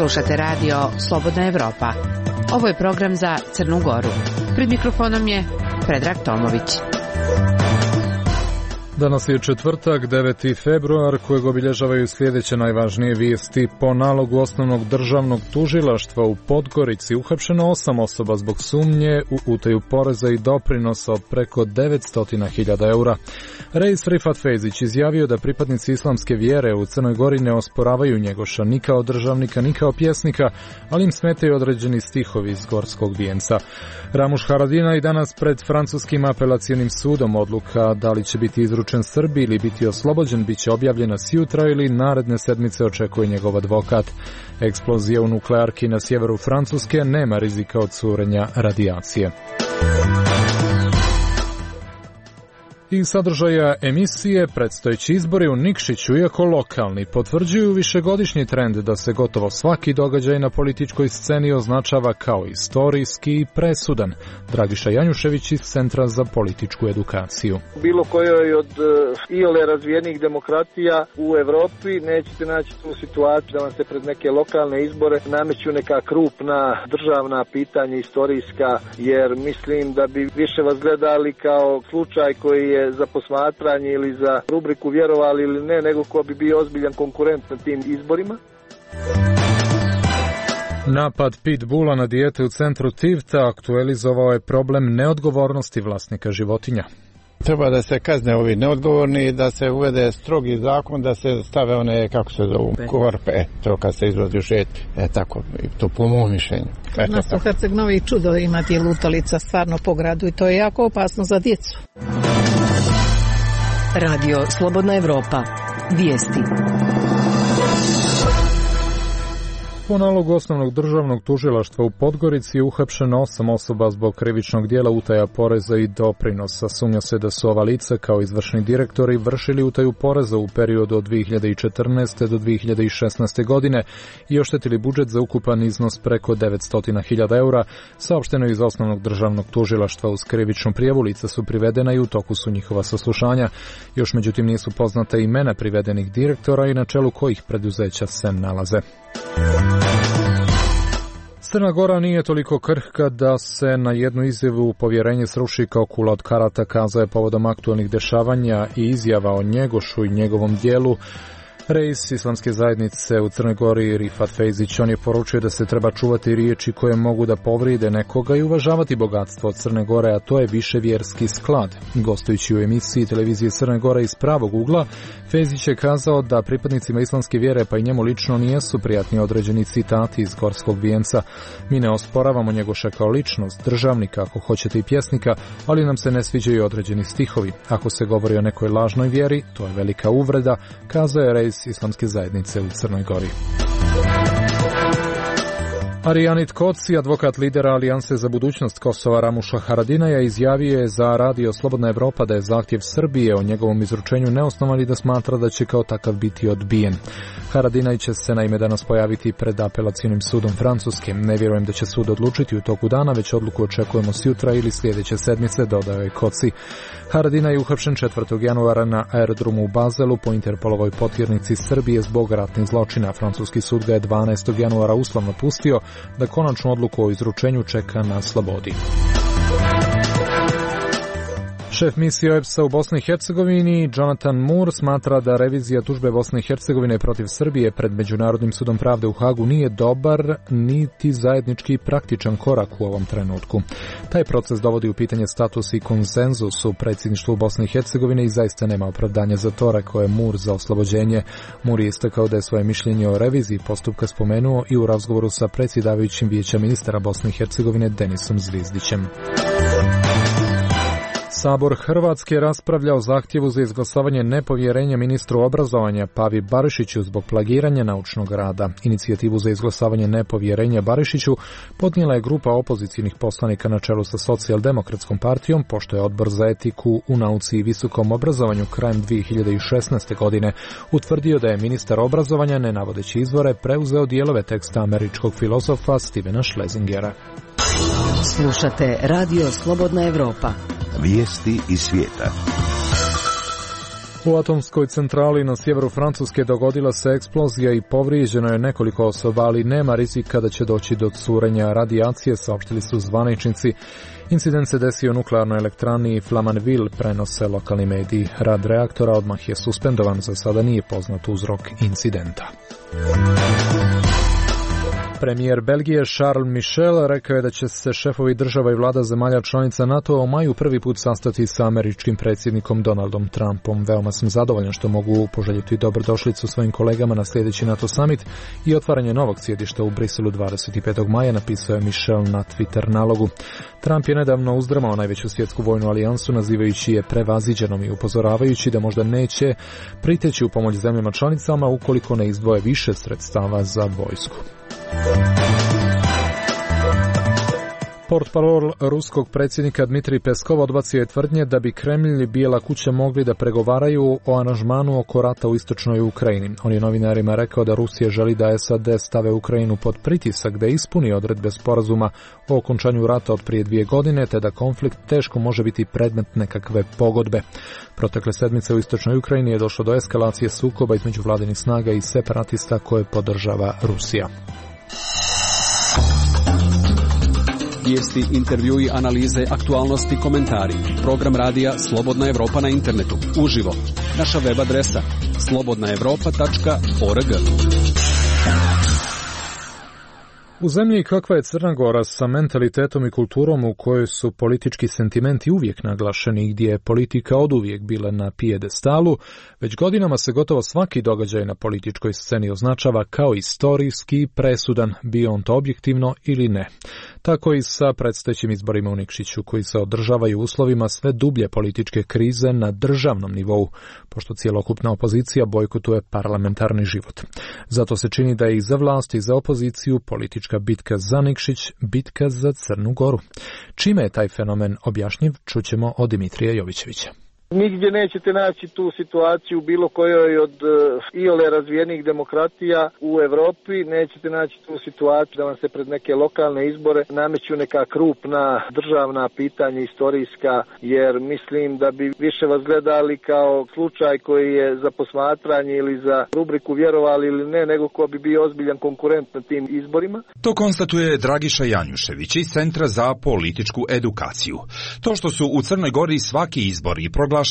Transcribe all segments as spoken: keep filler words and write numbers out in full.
Slušate radio Slobodna Evropa. Ovo je program za Crnu Goru. Pred mikrofonom je Predrag Tomović. Danas je četvrtak, deveti februar, kojeg obilježavaju sljedeće najvažnije vijesti. Po nalogu osnovnog državnog tužilaštva u Podgorici uhapšeno osam osoba zbog sumnje u utaju poreza i doprinosa od preko devetsto hiljada eura. Reis Rifat Fejzić izjavio da pripadnici islamske vjere u Crnoj Gori ne osporavaju Njegoša ni kao državnika ni kao pjesnika, ali im smetaju određeni stihovi iz Gorskog vijenca. Ramuš Haradinaj danas pred francuskim apelacionim sudom. Odluka da li će biti izručen Srbiji ili biti oslobođen bit će objavljena sjutra ili naredne sedmice, očekuje njegov advokat. Eksplozija u nuklearki na sjeveru Francuske, nema rizika od curenja radijacije. I sadržaja emisije predstojeći izbori u Nikšiću, iako lokalni, potvrđuju višegodišnji trend da se gotovo svaki događaj na političkoj sceni označava kao istorijski i presudan. Dragiša Janjušević iz Centra za političku edukaciju. Bilo kojoj od iole razvijenih demokratija u Evropi nećete naći tu situaciju da vam se pred neke lokalne izbore nameću neka krupna državna pitanja istorijska, jer mislim da bi više vas gledali kao slučaj koji je za posmatranje ili za rubriku vjerovali ili ne, nego ko bi bio ozbiljan konkurent na tim izborima. Napad pitbula na dijete u centru Tivta aktualizovao je problem neodgovornosti vlasnika životinja. Treba da se kazne ovi neodgovorni, da se uvede strogi zakon, da se stave one, kako se zovu, korpe, e, to kad se izvozi u šet, e tako, to po mom mišljenju. Kod nas u Herceg Novi čudo imati lutalica stvarno po gradu i to je jako opasno za djecu. Radio Slobodna Evropa. Vijesti. Po nalogu osnovnog državnog tužilaštva u Podgorici je uhapšeno osam osoba zbog krivičnog djela utaja poreza i doprinosa. Sumnja se da su ova lica kao izvršni direktori vršili utaju poreza u periodu od dvije hiljade četrnaeste do dvije hiljade šesnaeste godine i oštetili budžet za ukupan iznos preko devetsto hiljada eura. Saopšteno iz osnovnog državnog tužilaštva. Uz krivičnu prijavu lica su privedena i u toku su njihova saslušanja. Još međutim nisu poznata imena privedenih direktora i na čelu kojih preduzeća se nalaze. Crna Gora nije toliko krhka da se na jednu izjavu povjerenje sruši kao kula od karata, kazao je povodom aktualnih dešavanja i izjava o Njegošu i njegovom dijelu reis islamske zajednice u Crnoj Gori Rifat Fejzić. On je poručio da se treba čuvati riječi koje mogu da povride nekoga i uvažavati bogatstvo od Crne Gore, a to je više vjerski sklad. Gostujući u emisiji televizije Crne Gore iz pravog ugla, Fejzić je kazao da pripadnicima islamske vjere, pa i njemu lično, nijesu prijatni određeni citati iz Gorskog vijenca. Mi ne osporavamo Njegoša kao ličnost, državnika, ako hoćete i pjesnika, ali nam se ne sviđaju određeni stihovi. Ako se govori o nekoj lažnoj vjeri, to je velika uvreda, kazao je reis islamske zajednice u Crnoj Gori. Arijanit Koci, advokat lidera Alijanse za budućnost Kosova Ramuša Haradinaja, izjavio je za radio Slobodna Evropa da je zahtjev Srbije o njegovom izručenju neosnovan i da smatra da će kao takav biti odbijen. Haradinaj će se naime danas pojaviti pred apelacionim sudom Francuske. Ne vjerujem da će sud odlučiti u toku dana, već odluku očekujemo sjutra ili sljedeće sedmice, dodao je Koci. Haradinaj je uhapšen četvrtog januara na aerodromu u Bazelu po Interpolovoj potjernici Srbije zbog ratnih zločina. Francuski sud ga je dvanaestog januara uslovno pustio da konačnu odluku o izručenju čeka na slobodi. Šef misije O E B S-a u Bosni i Hercegovini, Jonathan Moore, smatra da revizija tužbe Bosne i Hercegovine protiv Srbije pred Međunarodnim sudom pravde u Hagu nije dobar niti zajednički praktičan korak u ovom trenutku. Taj proces dovodi u pitanje status i konsenzus u predsjedništvu Bosne i Hercegovine i zaista nema opravdanja za to, rekao je Moore za oslobođenje. Moore je istakao da je svoje mišljenje o reviziji postupka spomenuo i u razgovoru sa predsjedavajućim vijeća ministara Bosne i Hercegovine Denisom Zvizdićem. Sabor Hrvatske raspravlja o zahtjevu za izglasavanje nepovjerenja ministru obrazovanja Pavi Barišiću zbog plagiranja naučnog rada. Inicijativu za izglasavanje nepovjerenja Barišiću podnijela je grupa opozicijnih poslanika na čelu sa Socijaldemokratskom partijom, pošto je Odbor za etiku u nauci i visokom obrazovanju krajem dvije hiljade šesnaeste. godine utvrdio da je ministar obrazovanja, ne navodeći izvore, preuzeo dijelove teksta američkog filozofa Stevena Schlesingera. Slušate Radio Slobodna Evropa. Vijesti iz svijeta. U atomskoj centrali na sjeveru Francuske dogodila se eksplozija i povrijeđeno je nekoliko osoba, ali nema rizika da će doći do curenja radijacije, saopštili su zvaničnici. Incident se desio u nuklearnoj elektrani Flamanville, prenose lokalni mediji. Rad reaktora odmah je suspendovan, za sada nije poznat uzrok incidenta. Premijer Belgije Charles Michel rekao je da će se šefovi država i vlada zemalja članica NATO u maju prvi put sastati sa američkim predsjednikom Donaldom Trumpom. Veoma sam zadovoljan što mogu poželjeti dobrodošlicu svojim kolegama na sljedeći NATO summit i otvaranje novog sjedišta u Briselu dvadeset petog maja, napisao je Michel na Twitter nalogu. Trump je nedavno uzdrmao najveću svjetsku vojnu alijansu, nazivajući je prevaziđenom i upozoravajući da možda neće priteći u pomoć zemljama članicama ukoliko ne izdvoje više sredstava za vojsku. Portparol ruskog predsjednika Dmitrij Peskov odbacio je tvrdnje da bi Kremlj i Bijela kuća mogli da pregovaraju o aranžmanu oko rata u istočnoj Ukrajini. On je novinarima rekao da Rusija želi da S A D stave Ukrajinu pod pritisak da ispuni odredbe sporazuma o okončanju rata od prije dvije godine, te da konflikt teško može biti predmet nekakve pogodbe. Protekle sedmice u istočnoj Ukrajini je došlo do eskalacije sukoba između vladinih snaga i separatista koje podržava Rusija. Vijesti, intervjui, analize, aktualnosti, komentari. Program radija Slobodna Evropa na internetu. Uživo. Naša web adresa slobodna evropa tačka org. U zemlji kakva je Crna Gora sa mentalitetom i kulturom u kojoj su politički sentimenti uvijek naglašeni, gdje je politika oduvijek bila na pijedestalu, već godinama se gotovo svaki događaj na političkoj sceni označava kao istorijski presudan, bio on to objektivno ili ne. Tako i sa predstojećim izborima u Nikšiću, koji se održavaju u uslovima sve dublje političke krize na državnom nivou, pošto cjelokupna opozicija bojkotuje parlamentarni život. Zato se čini da je i za vlast i za opoziciju politička bitka za Nikšić, bitka za Crnu Goru. Čime je taj fenomen objašnjiv, čućemo od Dimitrija Jovićevića. Nigdje nećete naći tu situaciju bilo kojoj od iole razvijenih demokratija u Europi, nećete naći tu situaciju da vam se pred neke lokalne izbore nameću neka krupna državna pitanja istorijska, jer mislim da bi više vas gledali kao slučaj koji je za posmatranje ili za rubriku vjerovali ili ne, nego ko bi bio ozbiljan konkurent na tim izborima. To konstatuje Dragiša Janjušević iz Centra za političku edukaciju. To što su u Crnoj Gori svaki izbori proglašeni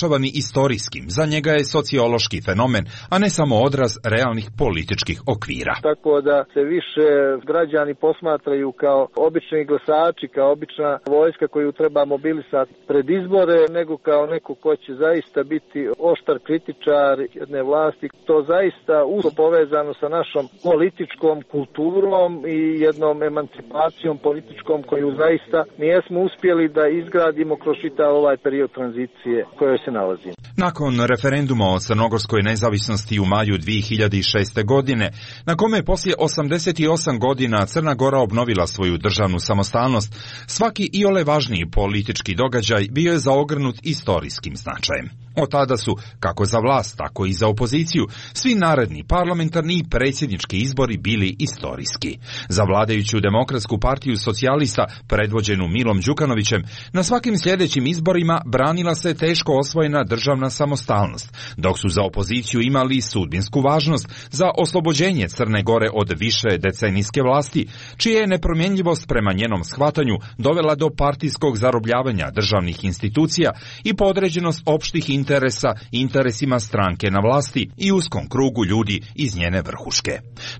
istorijskim, za njega je sociološki fenomen, a ne samo odraz realnih političkih okvira. Tako da se više građani posmatraju kao obični glasači, kao obična vojska koju treba mobilisati pred izbore, nego kao neko ko će zaista biti oštar kritičar jedne vlasti. To zaista usko povezano sa našom političkom kulturom i jednom emancipacijom političkom koju zaista nijesmo uspjeli da izgradimo kroz čitav ovaj period tranzicije koje se nalazimo. Nakon referenduma o crnogorskoj nezavisnosti u maju dvije hiljade šeste. godine, na kome je poslije osamdeset osam godina Crna Gora obnovila svoju državnu samostalnost, svaki iole važniji politički događaj bio je zaogrnut istorijskim značajem. Od tada su, kako za vlast, tako i za opoziciju, svi naredni parlamentarni i predsjednički izbori bili istorijski. Za vladajuću Demokratsku partiju socijalista, predvođenu Milom Đukanovićem, na svakim sljedećim izborima branila se teško osvojena državna samostalnost, dok su za opoziciju imali sudbinsku važnost za oslobođenje Crne Gore od više decenijske vlasti, čija je nepromjenjivost prema njenom shvatanju dovela do partijskog zarobljavanja državnih institucija i podređenost opštih interesa interesima stranke na vlasti i uskom krugu ljudi iz njene vrhuške.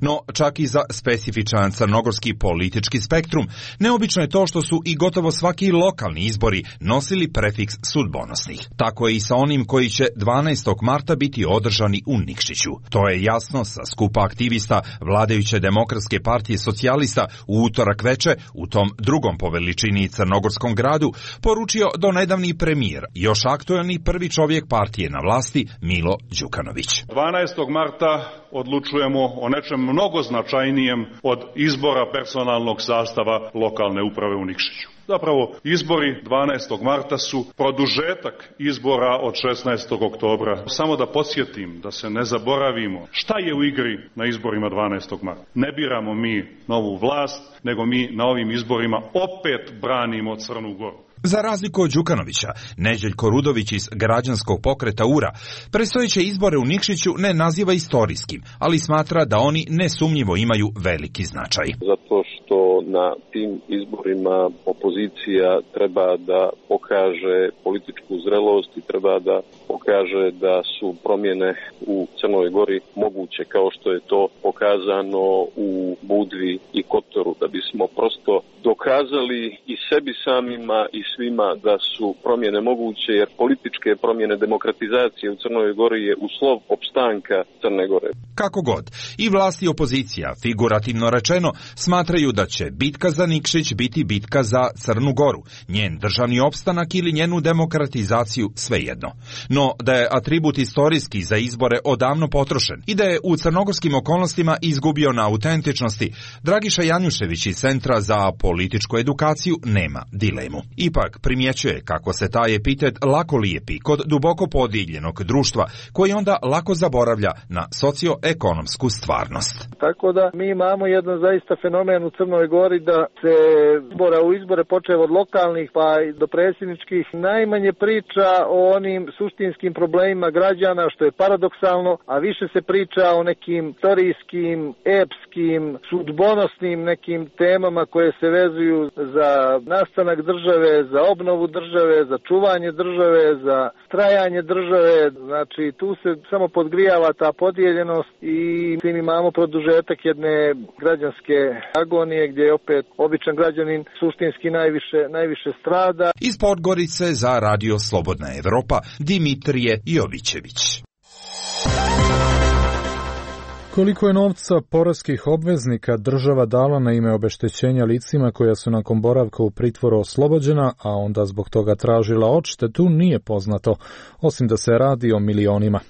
No, čak i za specifičan crnogorski politički spektrum, neobično je to što su i gotovo svaki lokalni izbori nosili prefiks sudbonosnih. Tako je i sa onim koji će dvanaestog marta biti održani u Nikšiću. To je jasno sa skupa aktivista vladajuće Demokratske partije socijalista u utorak veče u tom drugom po veličini crnogorskom gradu poručio donedavni premijer, još aktuelni prvi čovjek partije na vlasti Milo Đukanović. dvanaestog marta odlučujemo o nečem mnogo značajnijem od izbora personalnog sastava lokalne uprave u Nikšiću. Zapravo, izbori dvanaestog marta su produžetak izbora od šesnaestog oktobra. Samo da podsjetim, da se ne zaboravimo, šta je u igri na izborima dvanaestog marta. Ne biramo mi novu vlast, nego mi na ovim izborima opet branimo Crnu Goru. Za razliku od Đukanovića, Neđeljko Rudović iz građanskog pokreta U R A predstojeće izbore u Nikšiću ne naziva istorijskim, ali smatra da oni nesumnjivo imaju veliki značaj. Zato što na tim izborima opozicija treba da pokaže političku zrelost i treba da pokaže da su promjene u Crnoj Gori moguće, kao što je to pokazano u Budvi i Kotoru, da bismo prosto dokazali i sebi samima i svima da su promjene moguće, jer političke promjene, demokratizacije u Crnoj Gori je uslov opstanka Crne Gore. Kako god, i vlast i opozicija, figurativno rečeno, smatraju da će bitka za Nikšić biti bitka za Crnu Goru, njen državni opstanak ili njenu demokratizaciju, svejedno. No, da je atribut istorijski za izbore odavno potrošen i da je u crnogorskim okolnostima izgubio na autentičnosti, Dragiša Janjušević iz Centra za političku edukaciju nema dilemu. Ipak primjećuje kako se taj epitet lako lijepi kod duboko podijeljenog društva, koji onda lako zaboravlja na socioekonomsku stvarnost. Tako da mi imamo jedan zaista fenomen u Crnoj Gori da se izbora u izbore počev od lokalnih pa i do predsjedničkih najmanje priča o onim suštinskim problemima građana, što je paradoksalno, a više se priča o nekim istorijskim, epskim, sudbonosnim nekim temama koje se vezuju za nastanak države, za obnovu države, za čuvanje države, za trajanje države. Znači tu se samo podgrijava ta podijeljenost i tim imamo produžetak jedne građanske agonije gdje je opet običan građanin suštinski najviše, najviše strada. Iz Podgorice za Radio Slobodna Evropa, Dimitrije Jovićević. Koliko je novca poreskih obveznika država dala na ime obeštećenja licima koja su nakon boravka u pritvoru oslobođena, a onda zbog toga tražila odštetu, nije poznato, osim da se radi o milionima.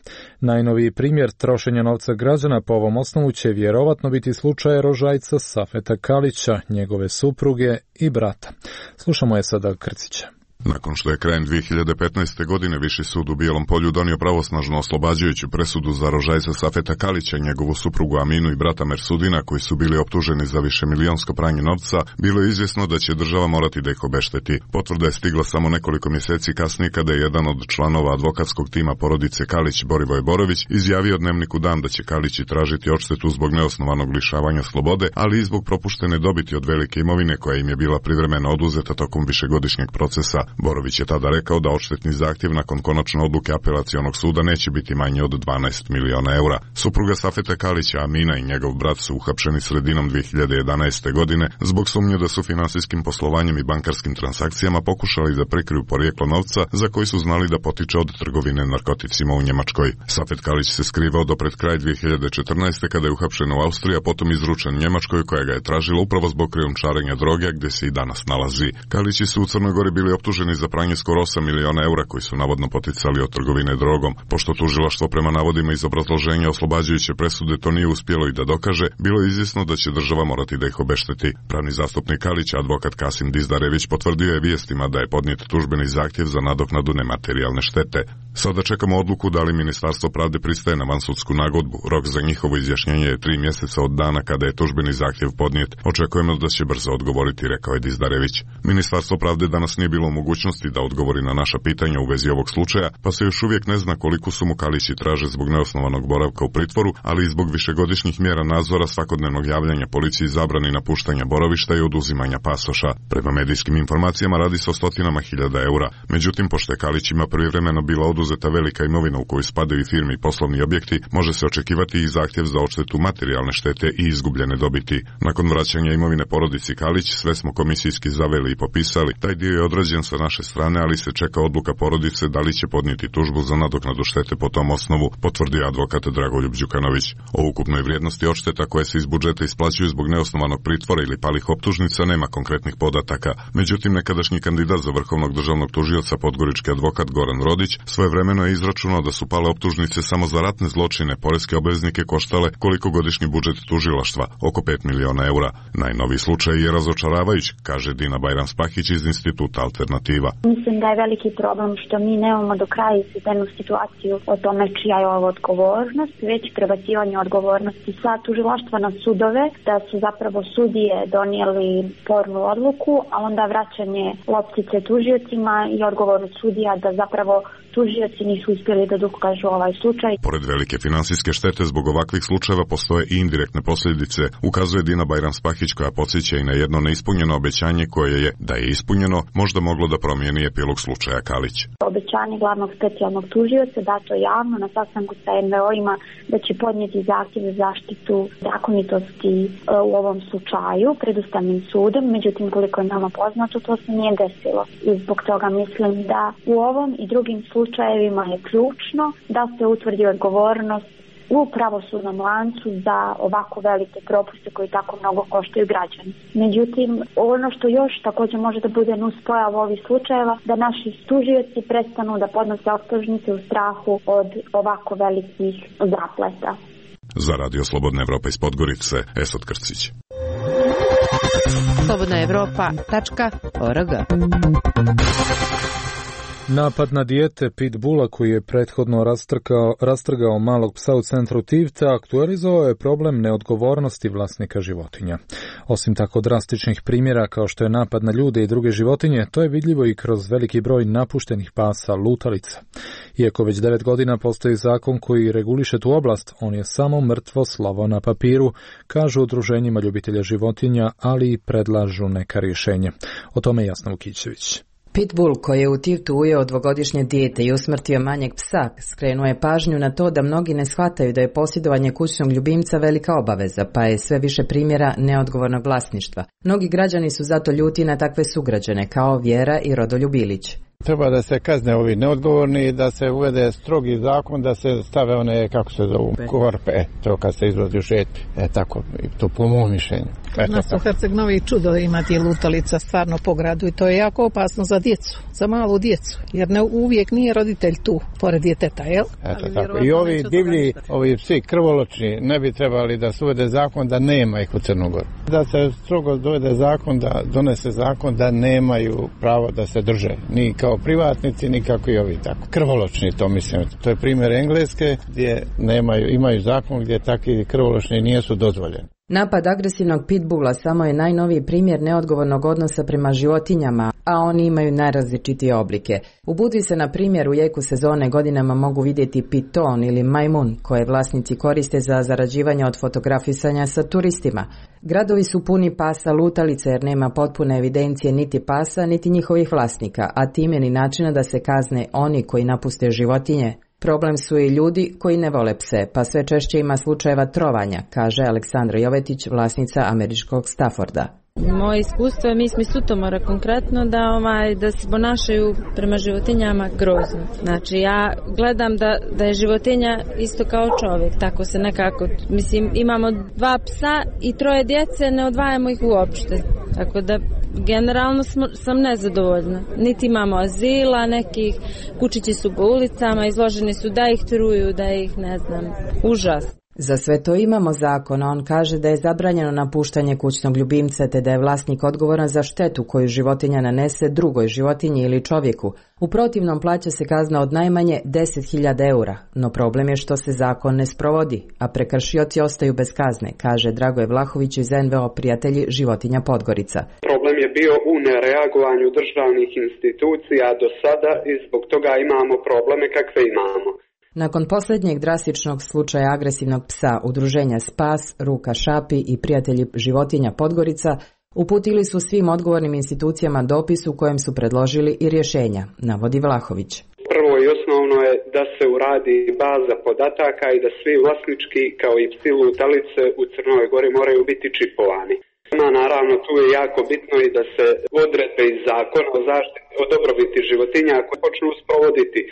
Najnoviji primjer trošenja novca građana po ovom osnovu će vjerovatno biti slučaj rožajca Safeta Kalića, njegove supruge i brata. Slušamo je sada Krcića. Nakon što je krajem dvije hiljade petnaeste. godine Viši sud u Bijelom Polju donio pravosnažno oslobađajuću presudu za rožajca Safeta Kalića, njegovu suprugu Aminu i brata Mersudina, koji su bili optuženi za višemilijonsko pranje novca, bilo je izvjesno da će država morati da ih obešteti. Potvrda je stigla samo nekoliko mjeseci kasnije kada je jedan od članova advokatskog tima porodice Kalić, Borivoje Borović, izjavio Dnevniku Dan da će Kalići tražiti odštetu zbog neosnovanog lišavanja slobode, ali i zbog propuštene dobiti od velike imovine koja im je bila privremeno oduzeta tokom višegodišnjeg procesa. Borović je tada rekao da odštetni zahtjev nakon konačne odluke apelacionog suda neće biti manji od dvanaest miliona eura. Supruga Safeta Kalića, Amina i njegov brat su uhapšeni sredinom dvije hiljade jedanaeste. godine zbog sumnje da su finansijskim poslovanjem i bankarskim transakcijama pokušali da prikriju porijeklo novca za koji su znali da potiče od trgovine narkoticima u Njemačkoj. Safet Kalić se skrivao do pred kraj dvije hiljade četrnaeste. kada je uhapšen u Austriji, a potom izručen Njemačkoj koja ga je tražila upravo zbog krijumčarenja droge, gdje se i danas nalazi. Kalići su u Crnoj Gori bili optuženi za pranje skoro osam miliona eura koji su navodno poticali od trgovine drogom. Pošto tužilaštvo prema navodima iz obrazloženja oslobađajuće presude to nije uspjelo i da dokaže, bilo je izvjesno da će država morati da ih obešteti. Pravni zastupnik Kalića, advokat Kasim Dizdarević, potvrdio je vijestima da je podnijet tužbeni zahtjev za nadoknadu nematerijalne štete. Sada čekamo odluku da li Ministarstvo pravde pristaje na vansudsku nagodbu. Rok za njihovo izjašnjenje je tri mjeseca od dana kada je tužbeni zahtjev podnijet. Očekujemo da će brzo odgovoriti, rekao je Dizdarević. Ministarstvo pravde danas nije bilo u mogućnosti da odgovori na naša pitanja u vezi ovog slučaja, pa se još uvijek ne zna koliko su mu Kalići traže zbog neosnovanog boravka u pritvoru, ali i zbog višegodišnjih mjera nadzora, svakodnevnog javljanja policiji, zabrani napuštanja boravišta i oduzimanja pasoša. Prema medijskim informacijama radi se o stotinama hiljada eura. Međutim, pošto je Kalićima privremeno bila oduzeta velika imovina u koju spadaju firme i poslovni objekti, može se očekivati i zahtjev za odštetu materijalne štete i izgubljene dobiti. Nakon vraćanja imovine porodici Kalić, sve smo komisijski zaveli i popisali. Taj dio je odrađen sa naše strane, ali se čeka odluka porodice da li će podnijeti tužbu za nadoknadu štete po tom osnovu, potvrdio advokat Dragoljub Đukanović. O ukupnoj vrijednosti odšteta koje se iz budžeta isplaćuju zbog neosnovanog pritvora ili palih optužnica nema konkretnih podataka. Međutim, nekadašnji kandidat za vrhovnog državnog tužioca, podgorički advokat Goran Rodić, svojevremeno je izračunao da su pale optužnice samo za ratne zločine poreske obveznike koštale koliko godišnji budžet tužilaštva, oko pet miliona eura. Najnoviji slučaj je razočaravajuć, kaže Dina Bajram Spahić iz Instituta Alternativa. inicijativa. Mislim da je veliki problem što mi nemamo do kraja izvedenu situaciju o tome čija je ovo odgovornost, već prebacivanje odgovornosti sa tužilaštva na sudove, da su zapravo sudije donijeli spornu odluku, a onda vraćanje loptice tužiocima i odgovornost sudija da zapravo tužioci nisu uspjeli da dokažu ovaj slučaj. Pored velike finansijske štete zbog ovakvih slučajeva postoje i indirektne posljedice, ukazuje Dina Bajram-Spahić, koja podsjeća i na jedno neispunjeno obećanje koje je, da je ispunjeno, možda moglo da promijeni epilog slučaja Kalić. Obećanje glavnog specijalnog tužioca dato javno na sastanku sa en ve o-ima da će podnijeti zahtjev za zaštitu zakonitosti u ovom slučaju pred Ustavnim sudom, međutim koliko je nama poznato to se nije desilo. I zbog toga mislim da u ovom i drugim slučajevima je ključno da se utvrdi odgovornost u pravosudnom lancu za ovako velike propuste koji tako mnogo koštaju građani. Međutim, ono što još također može da bude nuspojava ovih slučajeva, da naši tužioci prestanu da podnose optužnice u strahu od ovako velikih zapleta. Za Radio Slobodna Evropa iz Podgorice, Esad Krcić. slobodna evropa tačka org. Napad na dijete pitbula koji je prethodno rastrgao, rastrgao malog psa u centru Tivta aktualizovao je problem neodgovornosti vlasnika životinja. Osim tako drastičnih primjera kao što je napad na ljude i druge životinje, to je vidljivo i kroz veliki broj napuštenih pasa lutalica. Iako već devet godina postoji zakon koji reguliše tu oblast, on je samo mrtvo slovo na papiru, kažu udruženjima ljubitelja životinja, ali i predlažu neka rješenja. O tome Jasna Vukićević. Pitbull koji je u Tivtu ujeo dvogodišnje dijete i usmrtio manjeg psa, skrenuo je pažnju na to da mnogi ne shvataju da je posjedovanje kućnog ljubimca velika obaveza, pa je sve više primjera neodgovornog vlasništva. Mnogi građani su zato ljuti na takve sugrađane kao Vjera i Rodoljub Ilić. Treba da se kazne ovi neodgovorni i da se uvede strogi zakon, da se stave one, kako se zovu, korpe, e, to kad se izvozi u šet, e, tako, to po mom mišljenju. Nas u Herceg-Novi čudo imati lutalica stvarno po gradu i to je jako opasno za djecu, za malu djecu, jer ne uvijek nije roditelj tu, pored djeteta, jel? Eto, tako. I ovi divlji, ovi psi krvoločni, ne bi trebali da se uvede zakon da nema ih u Crnogoru. Da se strogo dovede zakon, da donese zakon da nemaju pravo da se drže, ni kao privatnici, ni kako i ovi tako. Krvoločni, to mislim. To je primjer Engleske gdje nemaju, imaju zakon gdje takvi krvoločni nisu dozvoljeni. Napad agresivnog pitbulla samo je najnoviji primjer neodgovornog odnosa prema životinjama, a oni imaju najrazličitije oblike. U Budvi se, na primjer, u jeku sezone godinama mogu vidjeti piton ili majmun, koje vlasnici koriste za zarađivanje od fotografisanja sa turistima. Gradovi su puni pasa lutalice jer nema potpune evidencije niti pasa, niti njihovih vlasnika, a time ni načina da se kazne oni koji napuste životinje. Problem su i ljudi koji ne vole pse, pa sve češće ima slučajeva trovanja, kaže Aleksandra Jovetić, vlasnica američkog Stafforda. Moje iskustvo je, mi smo iz Sutomora konkretno, da, ovaj, da se ponašaju prema životinjama grozno. Znači ja gledam da, da je životinja isto kao čovjek, tako se nekako, mislim imamo dva psa i troje djece, ne odvajamo ih uopšte, tako da generalno smo, sam nezadovoljna. Niti imamo azila, nekih kučići su po ulicama, izloženi su da ih truju, da ih ne znam, užas. Za sve to imamo zakon, a on kaže da je zabranjeno napuštanje kućnog ljubimca te da je vlasnik odgovoran za štetu koju životinja nanese drugoj životinji ili čovjeku. U protivnom plaća se kazna od najmanje deset hiljada eura, no problem je što se zakon ne sprovodi, a prekršioci ostaju bez kazne, kaže Dragoje Vlahović iz en ve o Prijatelji životinja Podgorica. Problem je bio u nereagovanju državnih institucija do sada i zbog toga imamo probleme kakve imamo. Nakon posljednjeg drastičnog slučaja agresivnog psa udruženja Spas, Ruka Šapi i Prijatelji životinja Podgorica uputili su svim odgovornim institucijama dopis u kojem su predložili i rješenja, navodi Vlahović. Prvo i osnovno je da se uradi baza podataka i da svi vlasnički kao i psi lutalice u Crnoj Gori moraju biti čipovani. Naravno, tu je jako bitno i da se odredbe iz zakona o zaštiti o dobrobiti životinja ako počnu sprovoditi.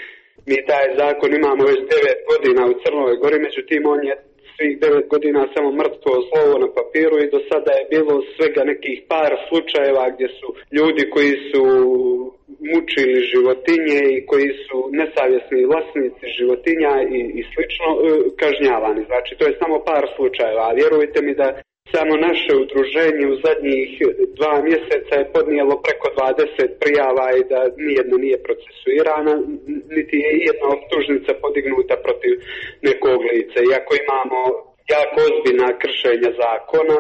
Mi taj zakon imamo već devet godina u Crnoj Gori, međutim on je svih devet godina samo mrtvo slovo na papiru i do sada je bilo svega nekih par slučajeva gdje su ljudi koji su mučili životinje i koji su nesavjesni vlasnici životinja i, i slično kažnjavani. Znači to je samo par slučajeva, a vjerujte mi da Samo naše udruženje u zadnjih dva mjeseca je podnijelo preko dvadeset prijava i da nijedna nije procesuirana, niti je jedna optužnica podignuta protiv nekog lica. Iako imamo jako ozbiljna kršenja zakona,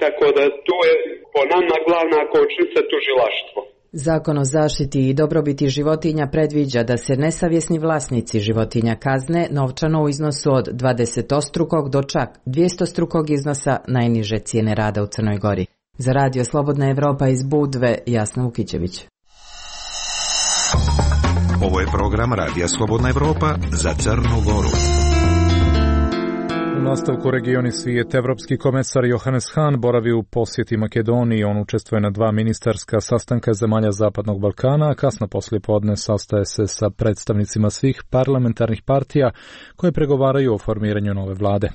tako da tu je po nama glavna kočnica tužilaštvo. Zakon o zaštiti i dobrobiti životinja predviđa da se nesavjesni vlasnici životinja kazne novčano u iznosu od dvadesetostrukog do čak dvjestostrukog iznosa najniže cijene rada u Crnoj Gori. Za radio Slobodna Evropa iz Budve, Jasna Vukićević. Ovo je program Radija Slobodna Evropa za Crnu Goru. U nastavku Regioni svijet, evropski komesar Johannes Hahn boravi u posjeti Makedoniji. On učestvuje na dva ministarska sastanka zemalja Zapadnog Balkana, a kasno poslije podne sastaje se sa predstavnicima svih parlamentarnih partija koje pregovaraju o formiranju nove vlade.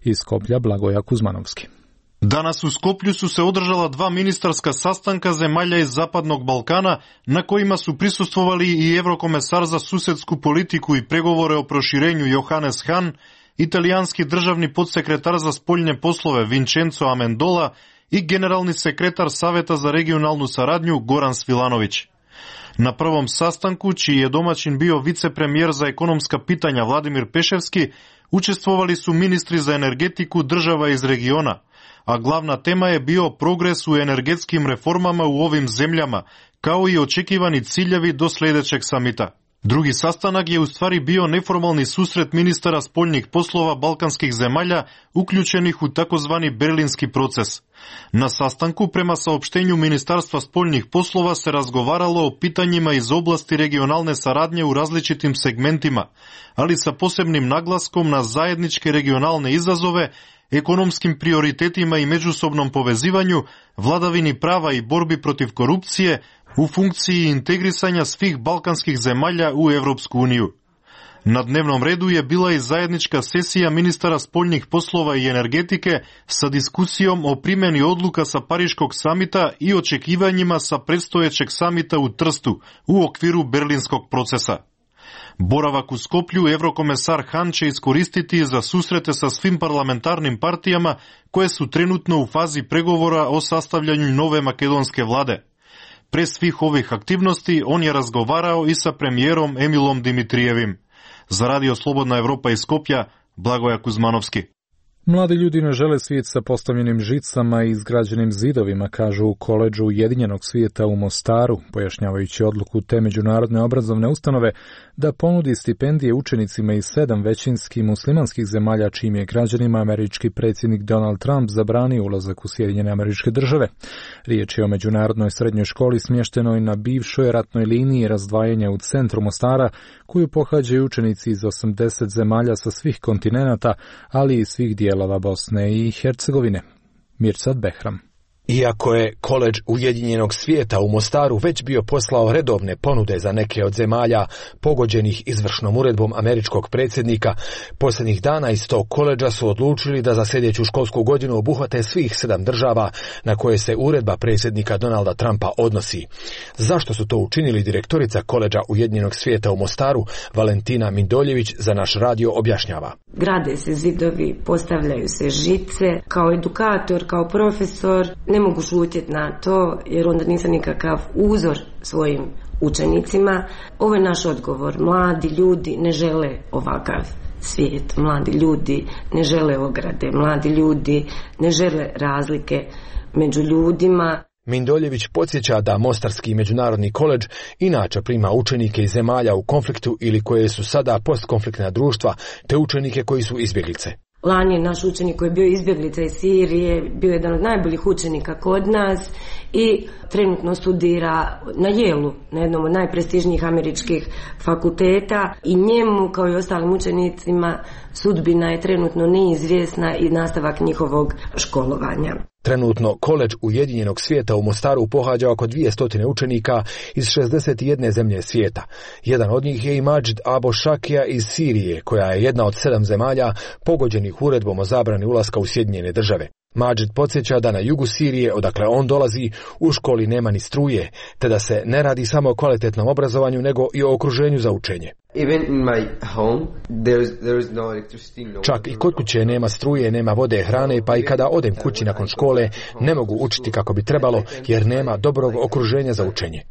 Iz Skoplja Blagoja Kuzmanovski. Danas u Skoplju su se održala dva ministarska sastanka zemalja iz Zapadnog Balkana, na kojima su prisustvovali i evrokomesar za susedsku politiku i pregovore o proširenju Johannes Hahn, italijanski državni podsekretar za spoljne poslove Vincenzo Amendola i generalni sekretar Saveta za regionalnu saradnju Goran Svilanović. Na prvom sastanku, čiji je domaćin bio vicepremijer za ekonomska pitanja Vladimir Peševski, učestvovali su ministri za energetiku država iz regiona, a glavna tema je bio progres u energetskim reformama u ovim zemljama, kao i očekivani ciljevi do sljedećeg samita. Drugi sastanak je u stvari bio neformalni susret ministara spoljnih poslova balkanskih zemalja uključenih u takozvani berlinski proces. Na sastanku, prema saopštenju Ministarstva spoljnih poslova, se razgovaralo o pitanjima iz oblasti regionalne saradnje u različitim segmentima, ali sa posebnim naglaskom na zajedničke regionalne izazove, ekonomskim prioritetima i međusobnom povezivanju, vladavini prava i borbi protiv korupcije, u funkciji integrisanja svih balkanskih zemalja u Evropsku uniju. Na dnevnom redu je bila i zajednička sesija ministara spoljnih poslova i energetike sa diskusijom o primjeni odluka sa Pariškog samita i očekivanjima sa predstojećeg samita u Trstu u okviru berlinskog procesa. Boravak u Skoplju evrokomesar Hahn će iskoristiti za susrete sa svim parlamentarnim partijama koje su trenutno u fazi pregovora o sastavljanju nove makedonske vlade. Pre svih ovih aktivnosti on je razgovarao i sa premijerom Emilom Dimitrijevim. Za radio Slobodna Evropa iz Skopja, Blagoja Kuzmanovski. Mladi ljudi ne žele svijet sa postavljenim žicama i izgrađenim zidovima, kažu u koledžu Ujedinjenog svijeta u Mostaru, pojašnjavajući odluku te međunarodne obrazovne ustanove da ponudi stipendije učenicima iz sedam većinski muslimanskih zemalja čijim je građanima američki predsjednik Donald Trump zabranio ulazak u Sjedinjene Američke Države. Riječ je o međunarodnoj srednjoj školi smještenoj na bivšoj ratnoj liniji razdvajanja u centru Mostara, koju pohađaju učenici iz osamdeset zemalja sa svih kontinenata, ali i svih dijelova Bosne i Hercegovine. Mirsad Behram. Iako je koledž Ujedinjenog svijeta u Mostaru već bio poslao redovne ponude za neke od zemalja pogođenih izvršnom uredbom američkog predsjednika, posljednjih dana iz tog koledža su odlučili da za sljedeću školsku godinu obuhvate svih sedam država na koje se uredba predsjednika Donalda Trumpa odnosi. Zašto su to učinili, direktorica koledža Ujedinjenog svijeta u Mostaru, Valentina Mindoljević, za naš radio objašnjava. Grade se zidovi, postavljaju se žice. Kao edukator, kao profesor, ne mogu šutjeti na to jer onda nisam nikakav uzor svojim učenicima. Ovo je naš odgovor. Mladi ljudi ne žele ovakav svijet. Mladi ljudi ne žele ograde. Mladi ljudi ne žele razlike među ljudima. Mindoljević podsjeća da Mostarski međunarodni koledž inače prima učenike iz zemalja u konfliktu ili koje su sada postkonfliktna društva, te učenike koji su izbjeglice. Lani je naš učenik koji je bio izbjeglica iz Sirije, bio jedan od najboljih učenika kod nas i trenutno studira na Yale, na jednom od najprestižnijih američkih fakulteta, i njemu kao i ostalim učenicima sudbina je trenutno neizvjesna i nastavak njihovog školovanja. Trenutno koledž Ujedinjenog svijeta u Mostaru pohađa oko dvjesto učenika iz šezdeset jedne zemlje svijeta. Jedan od njih je i Mađid Abo Šakija iz Sirije, koja je jedna od sedam zemalja pogođenih uredbom o zabrani ulaska u Sjedinjene države. Mađid podsjeća da na jugu Sirije, odakle on dolazi, u školi nema ni struje, te da se ne radi samo o kvalitetnom obrazovanju, nego i o okruženju za učenje. Čak i kod kuće nema struje, nema vode, hrane, pa i kada odem kući nakon škole ne mogu učiti kako bi trebalo, jer nema dobrog okruženja za učenje.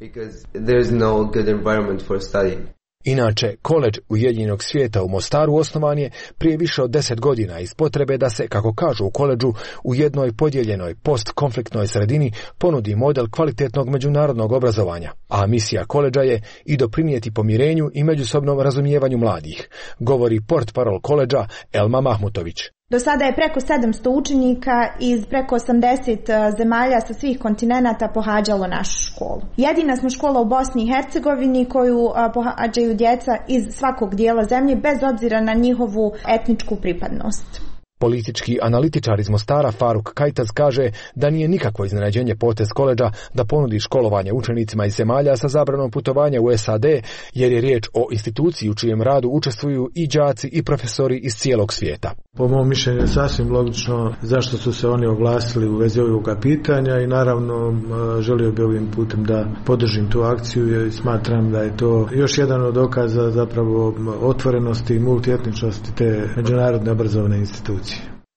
Inače, koledž Ujedinjenog svijeta u Mostaru osnovan je prije više od deset godina iz potrebe da se, kako kažu u koledžu, u jednoj podijeljenoj postkonfliktnoj sredini ponudi model kvalitetnog međunarodnog obrazovanja, a misija koledža je i doprinijeti pomirenju i međusobnom razumijevanju mladih, govori portparol koledža Elma Mahmutović. Do sada je preko sedamsto učenika iz preko osamdeset zemalja sa svih kontinenata pohađalo našu školu. Jedina smo škola u Bosni i Hercegovini koju pohađaju djeca iz svakog dijela zemlje bez obzira na njihovu etničku pripadnost. Politički analitičar iz Mostara Faruk Kajtaz kaže da nije nikakvo iznenađenje potez koledža da ponudi školovanje učenicima iz zemalja sa zabranom putovanja u S A D, jer je riječ o instituciji u čijem radu učestvuju i đaci i profesori iz cijelog svijeta. Po mom mišljenju je sasvim logično zašto su se oni oglasili u vezi ovoga pitanja i naravno želio bi ovim putem da podržim tu akciju i smatram da je to još jedan od dokaza zapravo otvorenosti i multietničnosti te međunarodne obrazovne institucije.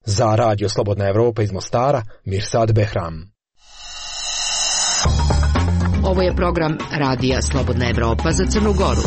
Za Radio Slobodna Evropa iz Mostara, Mirsad Behram. Ovo je program Radija Slobodna Evropa za Crnu Goru.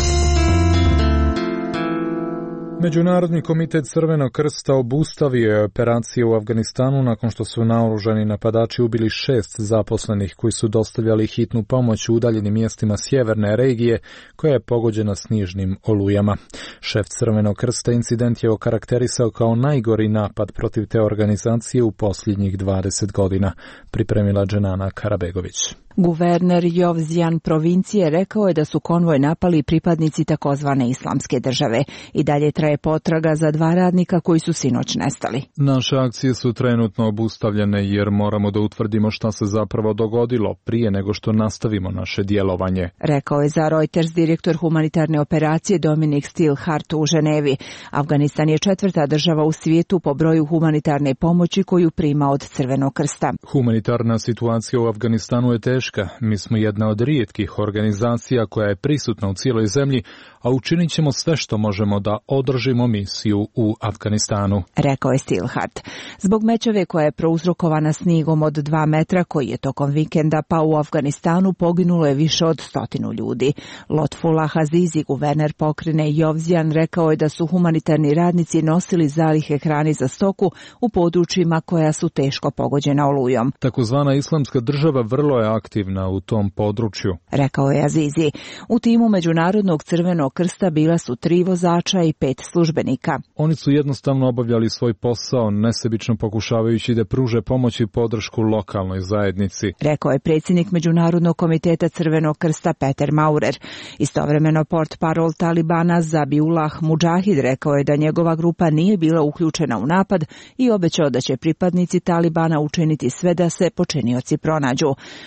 Međunarodni komitet Crvenog krsta obustavio je operacije u Afganistanu nakon što su naoružani napadači ubili šest zaposlenih koji su dostavljali hitnu pomoć u udaljenim mjestima sjeverne regije koja je pogođena snižnim olujama. Šef Crvenog krsta incident je okarakterisao kao najgori napad protiv te organizacije u posljednjih dvadeset godina, pripremila Dženana Karabegović. Guverner Jovzijan provincije rekao je da su konvoj napali pripadnici takozvane islamske države. I dalje traje potraga za dva radnika koji su sinoć nestali. Naše akcije su trenutno obustavljene jer moramo da utvrdimo šta se zapravo dogodilo prije nego što nastavimo naše djelovanje, rekao je za Reuters direktor humanitarne operacije Dominik Stilhart u Ženevi. Afganistan je četvrta država u svijetu po broju humanitarne pomoći koju prima od Crvenog krsta. Humanitarna situacija u Afganistanu je teška. Mi smo jedna od rijetkih organizacija koja je prisutna u cijeloj zemlji, a učinit ćemo sve što možemo da održimo misiju u Afganistanu, rekao je Stilhart. Zbog mećave koja je prouzrokovana snigom od dva metra koji je tokom vikenda pao u Afganistanu poginulo je više od stotinu ljudi. Lotfullah Azizi, guverner pokrajine Jovzijan, rekao je da su humanitarni radnici nosili zalihe hrane za stoku u područjima koja su teško pogođena olujom. Takozvana islamska država vrlo je aktivna u tom području, rekao je Azizi. U timu Međunarodnog Crvenog krsta bila su tri vozača i pet službenika. Oni su jednostavno obavljali svoj posao, nesebično pokušavajući da pruže pomoć i podršku lokalnoj zajednici, rekao je predsjednik Međunarodnog komiteta Crvenog krsta Peter Maurer. Istovremeno portparol Talibana Zabiullah Mudžahid rekao je da njegova grupa nije bila uključena u napad i obećao da će pripadnici Talibana učiniti sve da se počinioci pronađu.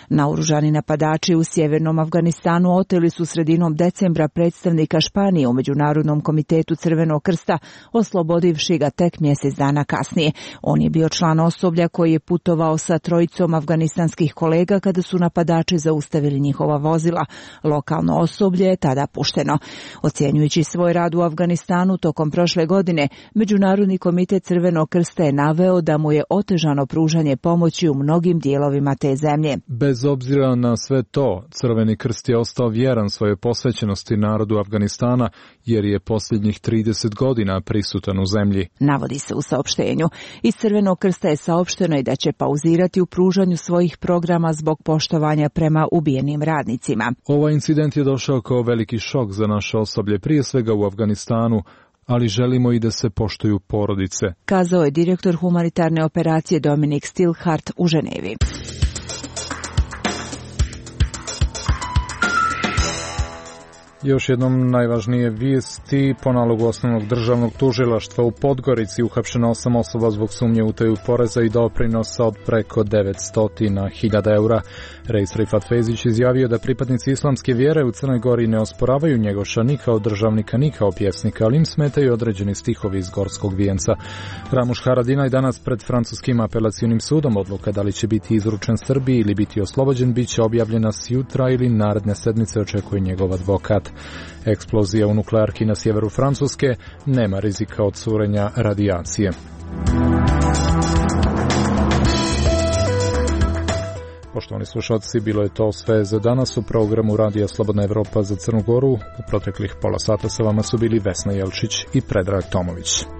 Naoružani napadači u sjevernom Afganistanu oteli su sredinom decembra predstavnika Španije u Međunarodnom komitetu Crvenog krsta, oslobodivši ga tek mjesec dana kasnije. On je bio član osoblja koji je putovao sa trojicom afganistanskih kolega kada su napadači zaustavili njihova vozila. Lokalno osoblje je tada pušteno. Ocjenjujući svoj rad u Afganistanu tokom prošle godine, Međunarodni komitet Crvenog krsta je naveo da mu je otežano pružanje pomoći u mnogim dijelovima te zemlje. Bez obzira na sve to, Crveni krst je ostao vjeran svojoj posvećenosti narodu Afganistana jer je posljednjih trideset godina prisutan u zemlji, navodi se u saopštenju. Iz Crvenog krsta je saopšteno i da će pauzirati u pružanju svojih programa zbog poštovanja prema ubijenim radnicima. Ovaj incident je došao kao veliki šok za naše osoblje, prije svega u Afganistanu, ali želimo i da se poštuju porodice, kazao je direktor humanitarne operacije Dominik Stilhart u Ženevi. Još jednom najvažnije vijesti. Po nalogu osnovnog državnog tužilaštva u Podgorici uhapšeno osam osoba zbog sumnje u utaju poreza i doprinosa od preko devetsto hiljada eura. Reis Rifat Fezić izjavio da pripadnici islamske vjere u Crnoj Gori ne osporavaju Njegoša ni kao državnika ni kao pjesnika, ali im smetaju određeni stihovi iz Gorskog vijenca. Ramuš Haradinaj danas pred francuskim apelacionim sudom. Odluka da li će biti izručen Srbiji ili biti oslobođen bit će objavljena s jutra ili naredne sedmice, očekuje njegov advokat. Eksplozija u nuklearki na sjeveru Francuske, nema rizika od curenja radijacije. Poštovani slušalci, bilo je to sve za danas u programu Radija Slobodna Evropa za Crnu Goru. U proteklih pola sata sa vama su bili Vesna Jelčić i Predrag Tomović.